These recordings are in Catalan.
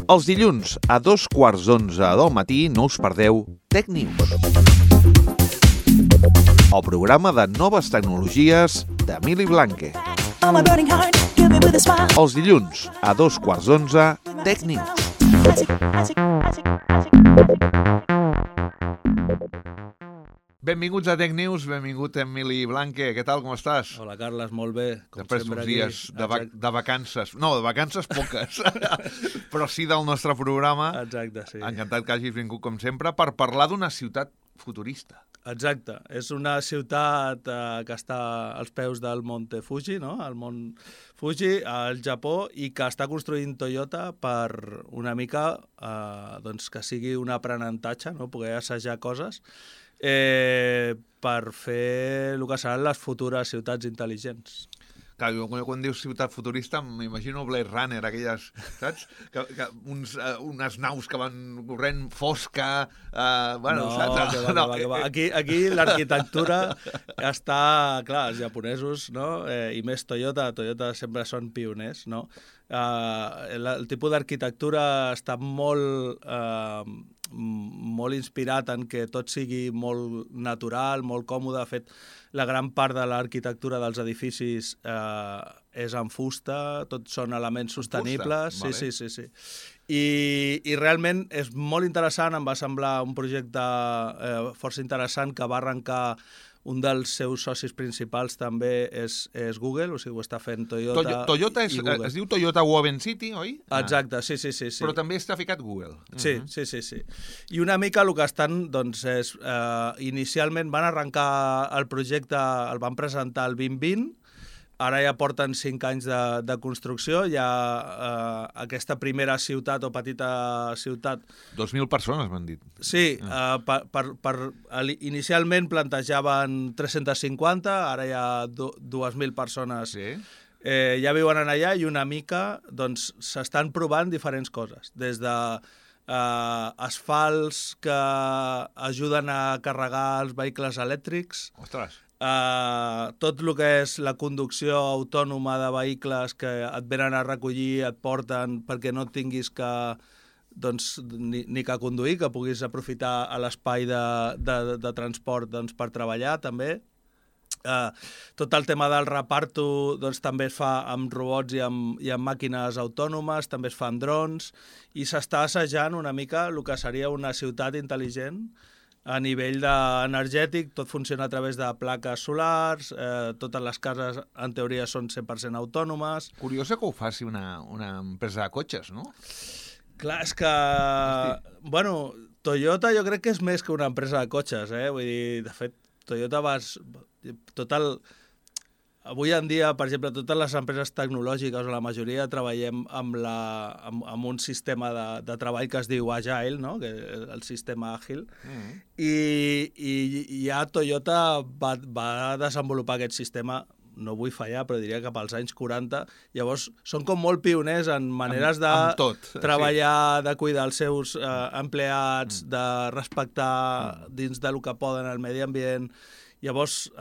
Els dilluns a 2:15 del matí no us perdeu Tech News, el programa de noves tecnologies d'Emili Blanque. Els dilluns a 2:15 Tech News. Benvinguts a Tech News, benvingut Emili Blanque. Què tal, com estàs? Hola, Carles, molt bé. Després d'uns dies de vacances. No, de vacances poques, però sí del nostre programa. Exacte, sí. Encantat que hagis vingut, com sempre, per parlar d'una ciutat futurista. Exacte. És una ciutat que està als peus del Monte Fuji, no? El Mont Fuji, al Japó, i que està construint Toyota per una mica doncs que sigui un aprenentatge, no? Poder assajar coses per fer el que seran les futures ciutats intel·ligents. Clar, quan dius ciutat futurista m'imagino Blade Runner, aquelles, saps? Unes naus que van corrent fosca, saps? No. Aquí l'arquitectura està, clar, els japonesos, no? I més Toyota sempre són pioners, no? El tipus d'arquitectura està molt inspirat en que tot sigui molt natural, molt còmode. De fet, la gran part de l'arquitectura dels edificis és en fusta, tots són elements sostenibles. Vale. Sí. I realment és molt interessant, em va semblar un projecte força interessant que va arrencar. Un dels seus socis principals també és Google, o sigui, ho està fent Toyota. Toyota es diu Toyota Woven City, oi? Exacte, sí. Però també està ficat Google. Sí. I una mica el que estan, doncs, és... inicialment van arrencar el projecte, el van presentar el 2020, ara ja porten 5 anys de construcció, hi ha aquesta primera ciutat o petita ciutat... 2.000 persones m'han dit. Sí, inicialment plantejaven 350, ara hi ha 2.000 persones. Sí. Ja viuen allà i una mica doncs, s'estan provant diferents coses, des de asfalts que ajuden a carregar els vehicles elèctrics. Ostres! Tot el que és la conducció autònoma de vehicles que et venen a recollir, et porten perquè no tinguis que ni que conduir, que puguis aprofitar l'espai de transport per treballar també. Tot el tema del reparto també es fa amb robots i amb màquines autònomes, també es fa amb drons, i s'està assajant una mica el que seria una ciutat intel·ligent a nivell energètic. Tot funciona a través de plaques solars, totes les cases en teoria són 100% autònomes. Curiosa que ho faci una empresa de cotxes, no? Clar, és que... Bueno, Toyota jo crec que és més que una empresa de cotxes, Vull dir, de fet, Toyota avui en dia, per exemple, totes les empreses tecnològiques, o la majoria, treballem amb un sistema de treball que es diu Agile, no? Que és el sistema àgil. I ja Toyota va desenvolupar aquest sistema, no vull fallar, però diria que pels anys 40. Llavors, són com molt pioners en maneres de treballar, de cuidar els seus empleats, de respectar dins del que poden el medi ambient. Llavors...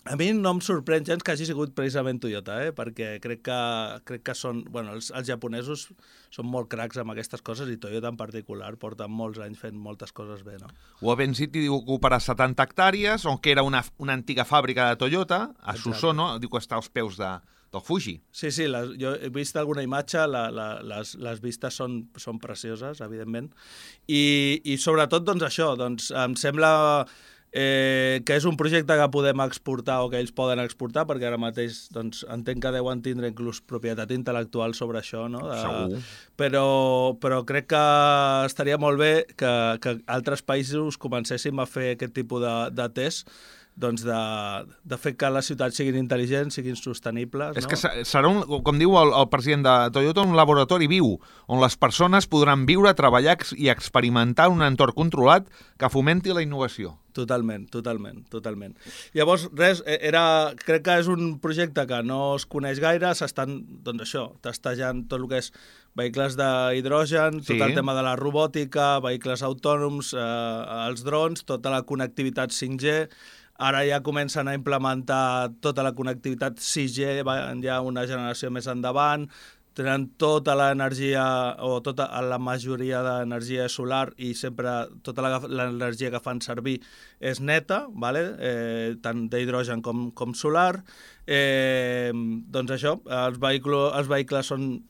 A mi no em sorprèn gens que hagi sigut precisament Toyota, perquè crec que són... Bueno, els japonesos són molt cracs amb aquestes coses, i Toyota en particular porta molts anys fent moltes coses bé, no? Woven City diu que ocuparà 70 hectàrees, on que era una antiga fàbrica de Toyota, a Susono, diu que està als peus del Fuji. Sí, jo he vist alguna imatge, les vistes són precioses, evidentment, i sobretot, doncs, això, em sembla... que és un projecte que podem exportar o que ells poden exportar, perquè ara mateix entenc que deuen tindre inclús propietat intel·lectual sobre això, no? Segur. Però crec que estaria molt bé que altres països comencéssim a fer aquest tipus de test, de fer que les ciutats siguin intel·ligents, siguin sostenibles. És que serà, com diu el president de Toyota, un laboratori viu, on les persones podran viure, treballar i experimentar un entorn controlat que fomenti la innovació. Totalment. Llavors, crec que és un projecte que no es coneix gaire, s'estan, testejant tot el que és vehicles d'hidrogen, tot el tema de la robòtica, vehicles autònoms, els drons, tota la connectivitat 5G. Ara ja comencen a implementar tota la connectivitat 6G, ja una generació més endavant, tenen tota l'energia o tota la majoria d'energia solar i sempre tota l'energia que fan servir és neta, vale? Tant d'hidrogen com solar. Doncs això, els vehicles són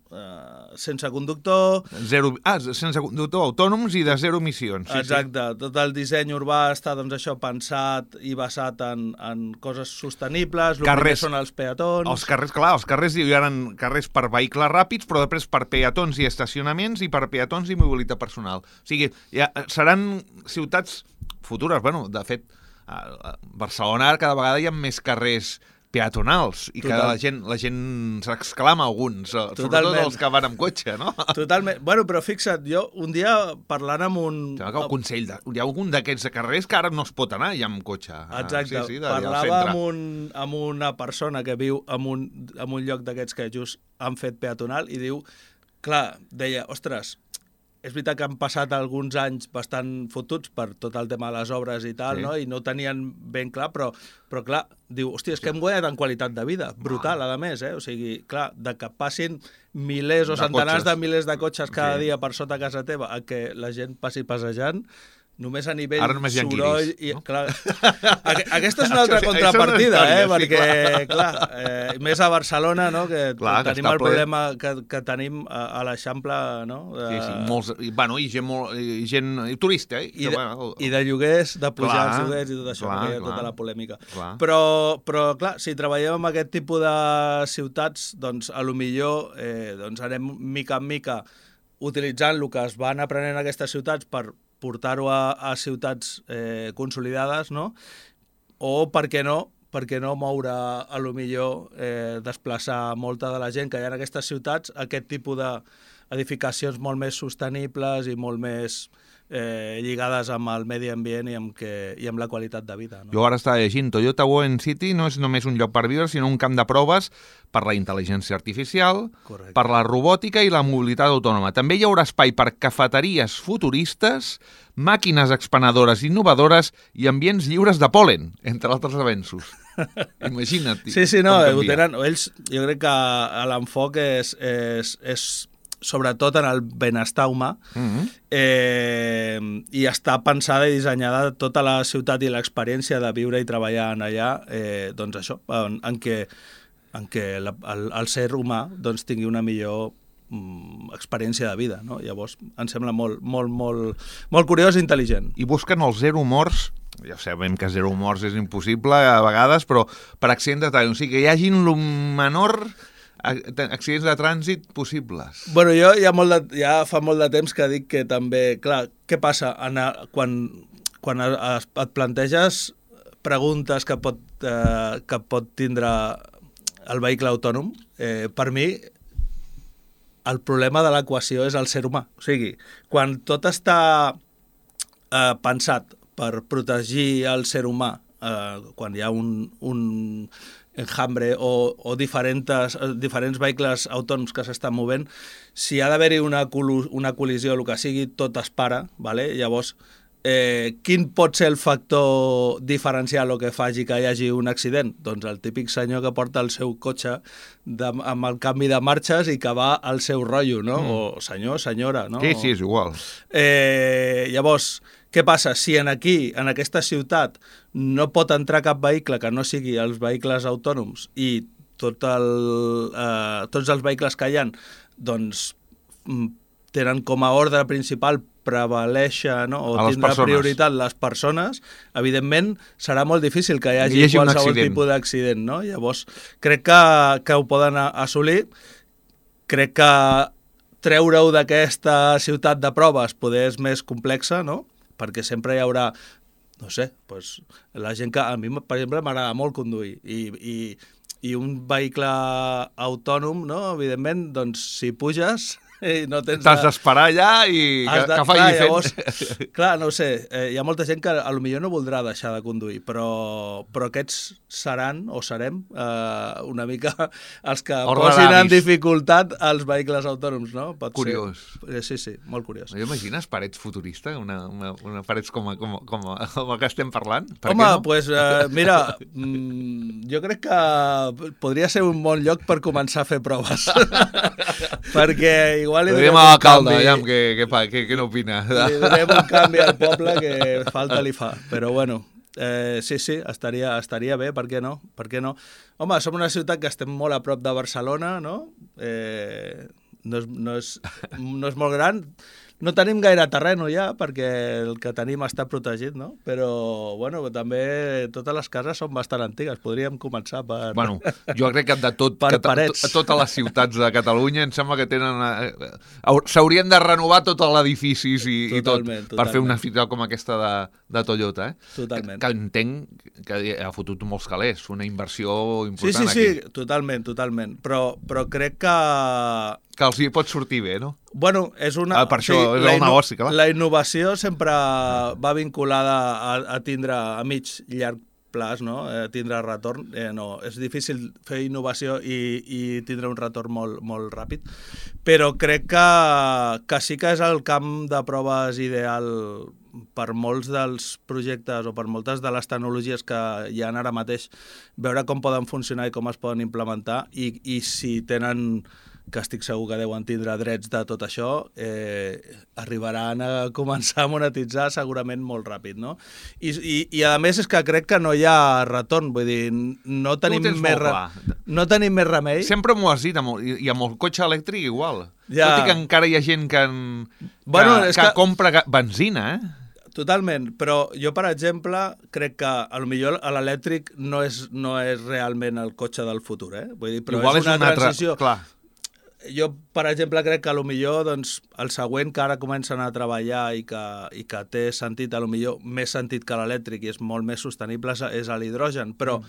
sense conductor. Sense conductor, autònoms i de zero emissions. Sí, exacte, sí. Tot el disseny urbà està doncs, això pensat i basat en coses sostenibles, el primer són els peatons. Els carrers hi ha carrers per vehicles ràpids, però després per peatons i estacionaments i per peatons i mobilitat personal. O sigui, seran ciutats futures. Bueno, de fet, a Barcelona cada vegada hi ha més carrers peatonals i que la gent s'exclama alguns, sobretot els que van amb cotxe, no? Totalment. Bueno, però fixa't, jo un dia parlant amb un... Hi ha algun d'aquests carrers que ara no es pot anar ja amb cotxe. Exacte. Parlava amb una persona que viu en un lloc d'aquests que just han fet peatonal i diu, clar, deia, ostres, és veritat que han passat alguns anys bastant fotuts per tot el tema de les obres i tal, no? I no ho tenien ben clar, però clar, diu, hòstia, és que hem guanyat en qualitat de vida, brutal, a més, O sigui, clar, de que passin milers o centenars de milers de cotxes cada dia per sota casa teva a que la gent passi passejant, només a nivell soroll... No? Clar, aquesta és una altra contrapartida, perquè, clar, més a Barcelona, no?, que tenim el problema que tenim a l'Eixample, no? Molts, i gent turista, I de lloguers, de pujar els lloguers i tot això, perquè hi ha tota la polèmica. Però, clar, si treballem amb aquest tipus de ciutats, doncs, a lo millor anem mica en mica utilitzant el que es van aprenent en aquestes ciutats per portar-ho a ciutats consolidades, no? O, per què no moure, a lo millor, desplaçar molta de la gent que hi ha en aquestes ciutats, aquest tipus d'edificacions molt més sostenibles i molt més lligades amb el medi ambient i amb la qualitat de vida. No? Jo ara estava llegint, Toyota Woven City no és només un lloc per viure, sinó un camp de proves per la intel·ligència artificial, correcte, per la robòtica i la mobilitat autònoma. També hi haurà espai per cafeteries futuristes, màquines expenedores innovadores i ambients lliures de pol·len, entre altres avenços. Imagina't. Sí, no, ho tenen, ells, jo crec que l'enfoc és sobretot en el benestar humà, i està pensada i dissenyada tota la ciutat i l'experiència de viure i treballar en allà, doncs això, en què el ser humà doncs, tingui una millor experiència de vida, no? Llavors, em sembla molt curiós i intel·ligent. I busquen els zero morts, ja sabem que zero morts és impossible a vegades, però per accident de trànsit, o sigui, que hi hagin el menor accidents de trànsit possibles. Bueno, jo ja fa molt de temps que dic que també, clar, què passa quan et planteges preguntes que pot tindre el vehicle autònom? Per mi, el problema de l'equació és el ser humà. O sigui, quan tot està pensat per protegir el ser humà, quan hi ha un enjambre o diferents vehicles autònoms que s'estan movent, si ha d'haver-hi una col·lisió, el que sigui, tot es para, vale? Llavors, quin pot ser el factor diferencial o que faci que hi hagi un accident? Doncs el típic senyor que porta el seu cotxe amb el canvi de marxes i que va al seu rotllo, no? O senyor, senyora, no? Sí, és igual. Llavors, què passa? Si en aquesta ciutat, no pot entrar cap vehicle que no sigui els vehicles autònoms i tots els vehicles que hi ha, doncs tenen com a ordre principal prevalèixer, no? O tindre prioritat les persones, evidentment serà molt difícil que hi hagi qualsevol tipus d'accident, no? Llavors, crec que ho poden assolir. Crec que treure-ho d'aquesta ciutat de proves poder és més complexa, no? Perquè sempre hi haurà, no sé, doncs, la gent que a mi, per exemple, m'agrada molt conduir i un vehicle autònom, no? Evidentment, doncs, si puges i no tens... T'has d'esperar allà i que faci fent. Llavors, clar, no ho sé, hi ha molta gent que potser no voldrà deixar de conduir, però aquests seran o serem una mica els que posin en dificultat els vehicles autònoms, no? Pot Curiós. Ser. Sí, molt curiós. Imagines parets futurista, una parets com el que estem parlant? Home, doncs mira, jo crec que podria ser un bon lloc per començar a fer proves. Perquè igual li donem un canvi... Aviam, què n'opina? Li donem un canvi al poble que falta li fa. Però bueno, sí, estaria bé, per què no? Home, som una ciutat que estem molt a prop de Barcelona, no? No és molt gran. No tenim gaire terreno ja, perquè el que tenim està protegit, no? Però, bueno, també totes les cases són bastant antigues. Podríem començar per... Bueno, jo crec que de totes les ciutats de Catalunya em sembla que tenen... S'haurien de renovar tots els edificis i tot per fer una ciutat com aquesta de Toyota, Totalment. Que entenc que ha fotut molts calés, una inversió important aquí. Sí, totalment. Però crec que els hi pot sortir bé, no? Bueno, és una... Per això és el negoci, clar. La innovació sempre va vinculada a tindre a mig llarg plaç, no? Tindre retorn. No, és difícil fer innovació i tindre un retorn molt ràpid, però crec que sí que és el camp de proves ideal per molts dels projectes o per moltes de les tecnologies que hi ha ara mateix, veure com poden funcionar i com es poden implementar i si tenen... que estic segur que deuen tindre drets de tot això, arribaran a començar a monetitzar segurament molt ràpid, no? I a més és que crec que no hi ha retorn, vull dir, no tenim més remei. Sempre m'ho has dit, i amb el cotxe elèctric igual. Ja. Tot i que encara hi ha gent que compra benzina, Totalment, però jo, per exemple, crec que potser l'elèctric no és realment el cotxe del futur, Vull dir, però igual és una transició... Clar. Jo, per exemple, crec que potser doncs, el següent que ara comencen a treballar i que té sentit, potser més sentit que l'elèctric i és molt més sostenible, és l'hidrogen. Però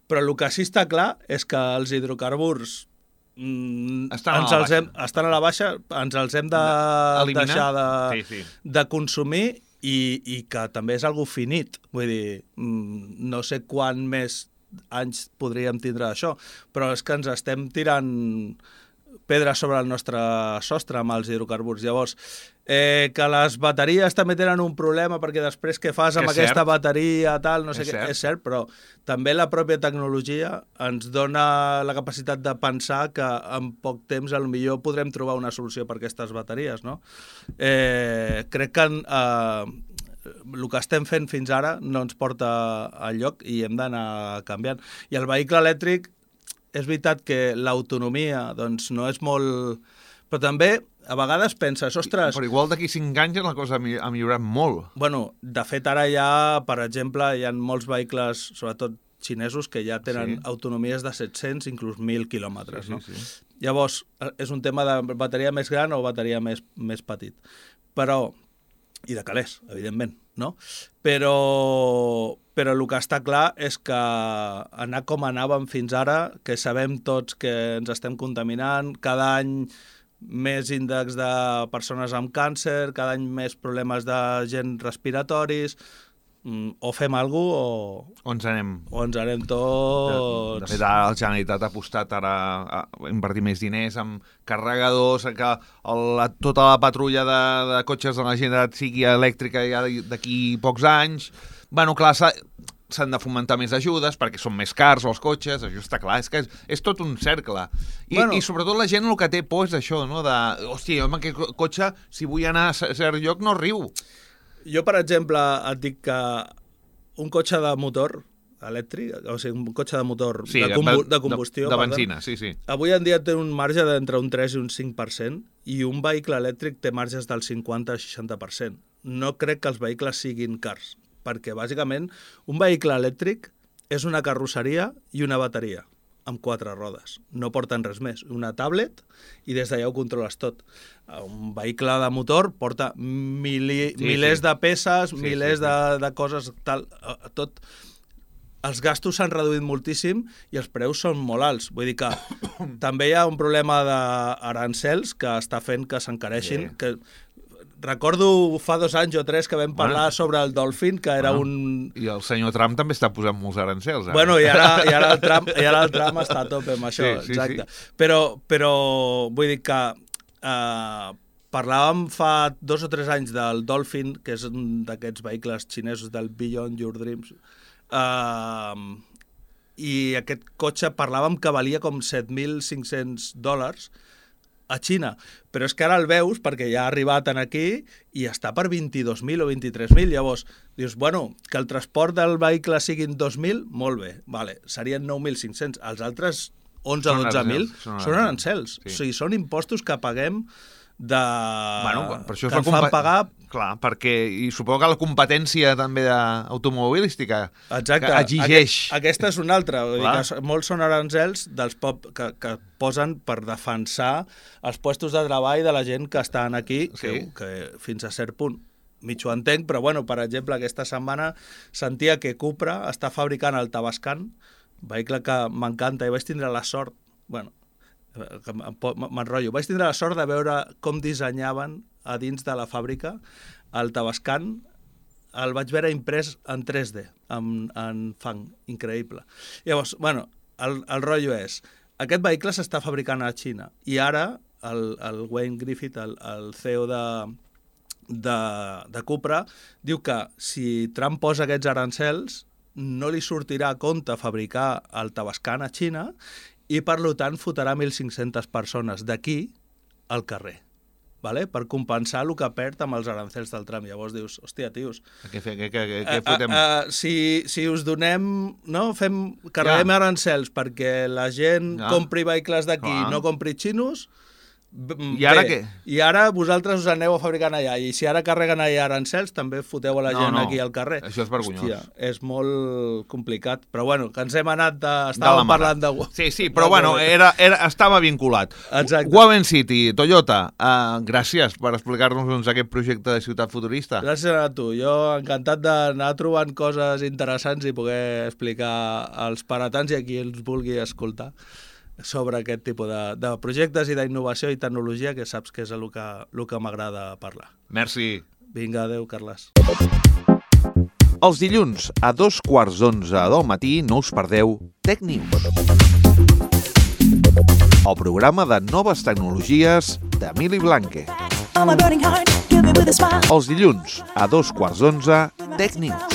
el que sí està clar és que els hidrocarburs estan a la baixa, ens els hem de deixar de consumir i que també és algo finit. Vull dir, no sé quant més anys podríem tindre d'això, però és que ens estem tirant pedres sobre el nostre sostre amb els hidrocarburs. Llavors, que les bateries també tenen un problema perquè després què fas amb aquesta bateria, tal, no sé què, és cert, però també la pròpia tecnologia ens dona la capacitat de pensar que en poc temps potser podrem trobar una solució per aquestes bateries, no? Crec que el que estem fent fins ara no ens porta enlloc i hem d'anar canviant. I el vehicle elèctric és veritat que l'autonomia doncs, no és molt... Però també, a vegades penses, ostres... Però igual d'aquí 5 anys la cosa ha millorat molt. Bueno, de fet, ara ja, per exemple, hi ha molts vehicles, sobretot xinesos, que ja tenen autonomies de 700, inclús 1.000 quilòmetres. No? Llavors, és un tema de bateria més gran o bateria més petit. Però... I de calés, evidentment, no? Però el que està clar és que anar com anàvem fins ara, que sabem tots que ens estem contaminant, cada any més índex de persones amb càncer, cada any més problemes de gent respiratoris, o fem alguna cosa o ens anem. O ens anem tots... De fet, ara la Generalitat ha apostat ara a invertir més diners en carregadors, que tota la patrulla de cotxes de la Generalitat sigui elèctrica ja d'aquí pocs anys. Bueno, clar, s'han de fomentar més ajudes perquè són més cars els cotxes, això està clar, és que és tot un cercle. I sobretot la gent el que té por és això, no? Hòstia, jo amb aquest cotxe, si vull anar a cert lloc, no arribo. Jo, per exemple, et dic que un cotxe de motor elèctric, o sigui, un cotxe de motor de combustió... De benzina, sí. Avui en dia té un marge d'entre un 3 i un 5%, i un vehicle elèctric té marges del 50-60%. No crec que els vehicles siguin cars, perquè, bàsicament, un vehicle elèctric és una carrosseria i una bateria, amb 4 rodes. No porten res més. Una tablet i des d'allà ho controles tot. Un vehicle de motor porta milers de peces, milers de coses, tal, tot. els gastos s'han reduït moltíssim i els preus són molt alts. Vull dir que també hi ha un problema d'arancels que està fent que s'encareixin. Que recordo fa 2 anys o 3 que vam parlar sobre el Dolphin, que era un... I el senyor Trump també està posant molts arancels. Ara. Bueno, i ara el Trump està a tope amb això, sí, exacte. Sí. Però vull dir que parlàvem fa 2 o 3 anys del Dolphin, que és un d'aquests vehicles xinesos del Beyond Your Dreams, i aquest cotxe parlàvem que valia com $7.500 a Xina, però és que ara el veus perquè ja ha arribat aquí i està per 22.000 o 23.000, llavors dius, bueno, que el transport del vehicle siguin 2.000, molt bé, vale, serien 9.500, els altres 11 o 12.000 són arancels, sí. O sigui, són impostos que paguem per això que ens fan pagar... Clar, perquè i suposo que la competència també automobilística exacte. Que exigeix... Aquesta és una altra. Vull dir que molts són arancels dels que posen per defensar els puestos de treball de la gent que estan aquí, sí. que fins a cert punt mig ho entenc, però bueno, per exemple, aquesta setmana sentia que Cupra està fabricant el Tavascan, vehicle que m'encanta, i vaig tindre la sort, bueno, m'enrotllo, vaig tindre la sort de veure com dissenyaven a dins de la fàbrica el Tavascan, el vaig veure imprès en 3D, en fang, increïble. Llavors, bueno, el rotllo és, aquest vehicle s'està fabricant a Xina, i ara el Wayne Griffith, el CEO de Cupra, diu que si Trump posa aquests arancels, no li sortirà a compte fabricar el Tavascan a Xina, i per tant fotrà 1.500 persones d'aquí al carrer, vale? Per compensar el que perd amb els arancels del Trump. Llavors dius, hòstia, tios... Què fotem? Si us donem... No? Carreguem arancels perquè la gent compri vehicles d'aquí i no compri xinos... I ara què? I ara vosaltres us aneu a fabricant allà, i si ara carreguen allà arancels, també foteu a la gent aquí al carrer. Això és vergonyós. Hòstia, és molt complicat, però bueno, que ens hem anat estàvem parlant de... Sí, però bueno, estava vinculat. Exacte. Woven City, Toyota, gràcies per explicar-nos aquest projecte de ciutat futurista. Gràcies a tu, jo encantat d'anar trobant coses interessants i poder explicar als paratans i a qui els vulgui escoltar sobre aquest tipus de projectes i d'innovació i tecnologia, que saps que és el que m'agrada parlar. Merci. Vinga, adeu, Carles. Els dilluns a 11:15 del matí no us perdeu Tech News, el programa de noves tecnologies d'Emili Blanque. Els dilluns a 11:15 Tech News.